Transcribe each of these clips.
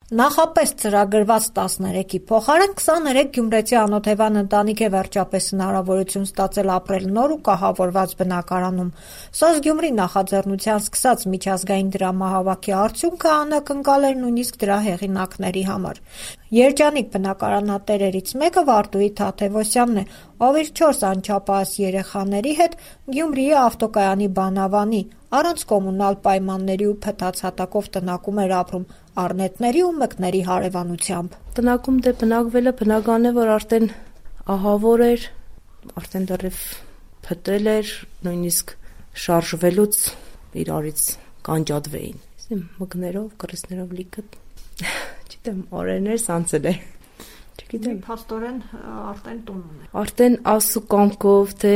Նախապես ծրագրված 13-ի փոխարեն 23 գյումրեցի անօթևան ընտանիք է վերջապես հնարավորություն ստացել ապրել նոր ու կահավորված բնակարանում։ Սոզգյումրի նախաձեռնության սկսած միջազգային դրամահավաքի արդյունքը անակնկալ էր նույնիսկ դրա հեղինակների համար։ Երջանիկ բնակարանատերերից մեկը Վարդուհի Թադևոսյանն է, ով իր 4 անչափահաս երեխաների հետ Գյումրիի ավտոկայանի բանավանի առանց կոմունալ պայմանների ու փտած հատակով տնակում էր ապրում առնետների ու մկների հարևանությամբ։ Տնակում բնակվելը բնական է, որ արդեն ահավոր էր, արդեն դեռև փտել էր, նույնիսկ շարժվելուց իրարից կանջատվեին։ Մկներով, կռիզներով լիքը, չգիտեմ, օրերներ սանցել է։ Չգիտեմ, փաստորեն արդեն տուն ունի։ Արդեն Աստծո կամքով, թե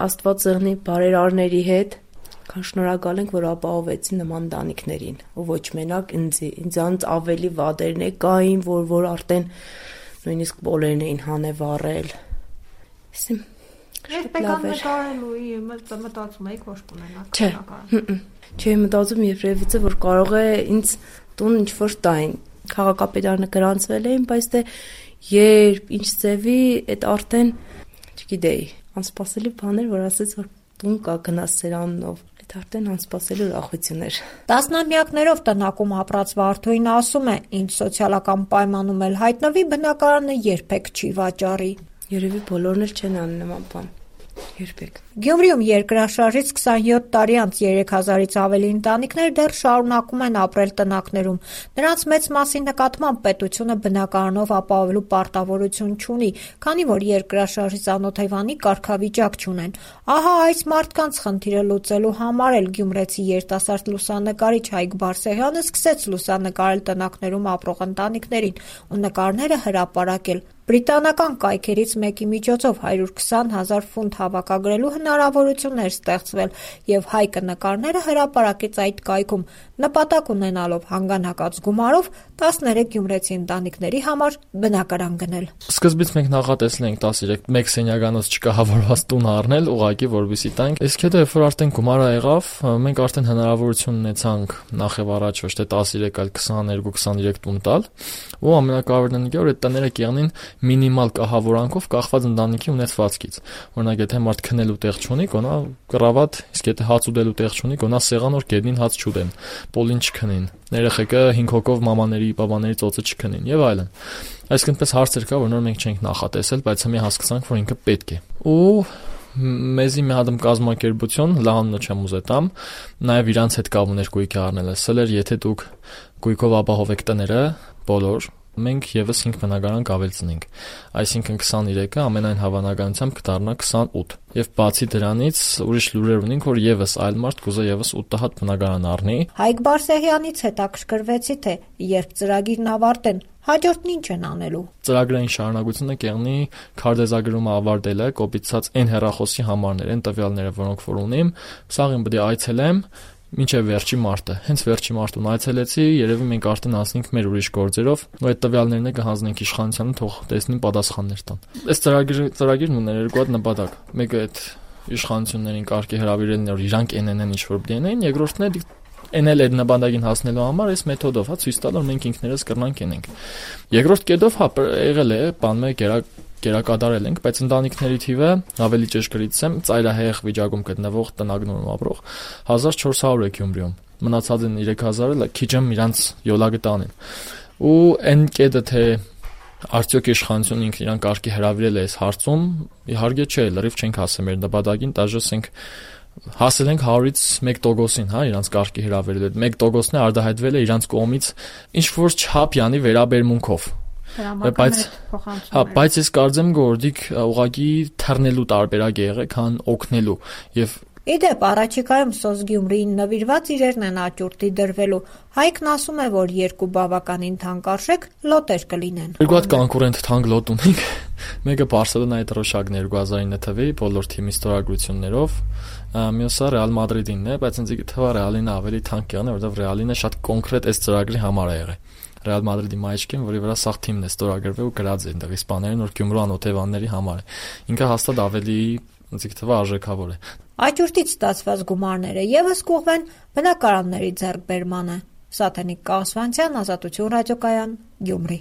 Աստված եղնի բարերարների հետ, շնորհակալ ենք, որ ապահովեցին նման ընտանիքներին, ու ոչ մենակ ինձանից ավելի վադերն կային, որ արդեն նույնիսկ բոլերն էին հանևառել։ Երբ եկան նկարելու, մտածում էիք, որ կունենաք նկարել։ Չէ, մտածում երբևիցե, որ կարող է ինձ տուն ինչ-որ տային։ Քաղաքապետարանը գրանցվել էին, բայց դե երբ ինչ ձևի, այդ արդեն չգիտեի, անսպասելի բաներ, որ ասեց, որ տուն կա գնաց սերանով, այդ արդեն անսպասելի ուրախություն էր։ Տասնամյակներով տնակում ապրած Վարդուհին ասում է, ինչ սոցիալական պայմանում էլ հայտնվի, բնակարանը երբեք չի վաճառի։ Երևի բոլորն էլ չեն անի նման բան։ Երբեք։ Գյումրիում երկրաշարժից 27 տարի անց 3000-ից ավելի ընտանիքներ դեռ շարունակում են ապրել տնակներում։ Նրանց մեծ մասի նկատմամբ պետությունը բնակարանով ապահովելու պարտավորություն չունի, քանի որ երկրաշարժից անօթևանի կարգավիճակ չունեն։ Ահա այս մարդկանց խնդիրը լուծելու համար էլ գյումրեցի երիտասարդ լուսանկարիչ Հայկ Բարսեղյանը սկսեց լուսանկարել տնակներում ապրող ընտանիքներին ու նկարները հրապարակել։ Բրիտանական կայքերից մեկի միջոցով 120,000 ֆունտ հավաքագրելու հնարավորություն էր ստեղծվել, եւ Հայկը նկարները հրապարակեց այդ կայքում, նպատակ ունենալով հանգանակած գումարով 13 գյումրեցի ընտանիքների համար բնակարան գնել։ Սկզբից մենք նախատեսել ենք 13 մեկ սենյականոց չկահավորված տուն առնել, ուղղակի որպեսզի տանք։ Իսկ հետո երբ որ արդեն գումարը եղավ, մենք արդեն հնարավորություն ունեցանք նախ եւ առաջ ոչ թե 13, այլ 22-23 տուն տալ, ու ամենակարևորն է, որ այդ տները կյանին մինիմալ կահավորանքով կախված ընտանիքի ունեցվածքից։ Օրինակ, եթե մարդ քնելու տեղ չունի, գոնա կռավատ, իսկ եթե հաց ուտելու տեղ չունի, գոնա սեղան, որ գետնին հաց չուտեն, պոլին չքնին, երեխեքը 5 հոգով մամաների, պապաների ծոցը չքնին եւ այլն։ Այսինքն պես հարցեր կա, որ նոր մենք չենք նախատեսել, բայց հիմա հասկացանք, որ ինքը պետք է։ Ու մեզի մի հատ կազմակերպություն, լահանունը չեմ ուզետամ, նաեւ իրանց հետ կապ ուներ գույքի առնել, ասել էր, եթե դուք գույքով ապահովեք տները, բոլոր մենք եւս 5 բնակարան կավելցնենք, այսինքն 23-ը ամենայն հավանականությամբ կդառնա 28, եւ բացի դրանից ուրիշ լուրեր ունենք, որ եւս այլ մարդ կուզե եւս 8 հատ բնակարան առնի։ Հայկ Բարսեղյանից հետաքրքրվեցի, թե երբ ծրագիրն ավարտեն, հաջորդն ինչ են անելու։ Ծրագրային շարունակությունը կեղնի քարտեզագրումը ավարտելը, կոպիցած այն հեռախոսի համարներ, այն տվյալները, որոնք որ ունիմ, սաղին պետք է այցելեմ մինչև վերջի մարտը։ Հենց վերջի մարտուն այցելեցի, երևի մենք արդեն անցնենք մեր ուրիշ գործերով, ու այդ տվյալներն կհանձնենք իշխանությանը, թող տեսնին պատասխաններ տան։ Այս ծրագիրն ուներ երկու հատ նպատակ։ Մեկը այդ իշխանություններին կարգի հրավիրելն էր, իրանք այնեն ինչ որ դենեն, երկրորդն է էնել այդ նպատակին հասնելու համար այս մեթոդով, ցույց տալ, որ մենք ինքներս կրնանք ենենք։ Երկրորդ կետով եղել է, բան մեկ կերակատարել ենք, բայց ընտանիքների թիվը ավելի ճշգրիտ եմ, ծայրահեղ վիճակում գտնվող տնագներում ապրող 1400 է Գյումրիում։ Մնացած են 3000-ը քիչ եմ իրանց յոլագտանին։ Ու այն կետը թե արդյոք իշխանությունը ինքն իրան կարգի հրավիրել է այս հարցում, իհարկե չէ, լրիվ չենք հասել մեր նպատակին, դաժե ասենք հասել ենք 100-ից 1%-ին, հա, իրանց կարգի հրավիրել է 1%-ն է արտահայտվել է իրանց կողմից ինչ որ չափյանի վերաբերմունքով։ Բայց ես կարծեմ, որ դիք ուղղակի թռնելու տարբերակ է եղել, քան օգնելու եւ Իդեպ առաջիկայում Սոզգյումրիին նվիրված իրերն են աճուրդի դրվելու։ Հայկն ասում է, որ երկու բավականին թանկարժեք լոտեր կլինեն։ Երկու հատ կոնկուրենտ թանկ լոտ ունենք։ Մեկը Բարսելոնայի դրոշակն 2009 թվականի բոլոր թիմի ստորագրություններով, մյուսը Ռեալ Մադրիդինն է, բայց ինձ թվա Ռեալինը ավելի թանկ եղան, որովհետեւ Ռեալինը շատ կոնկրետ այս ծրագրի համար է եղել։ Ռեալ Մադրիդի մայրիկին, որի վրա սաղ թիմն է ստորագրվել ու գրած է այնտեղ իսպաներեն, որ Գյումրու անօթևանների համար է։ Ինքը հաստատ ավելի ինձ թվա արժեքավոր է։ Աճուրդից ստացված գումարները եւս կուղվեն բնակարանների ձեռքբերմանը։ Սաթենիկ Կասվանցյան, Ազատություն ռադիոկայան, Գյումրի։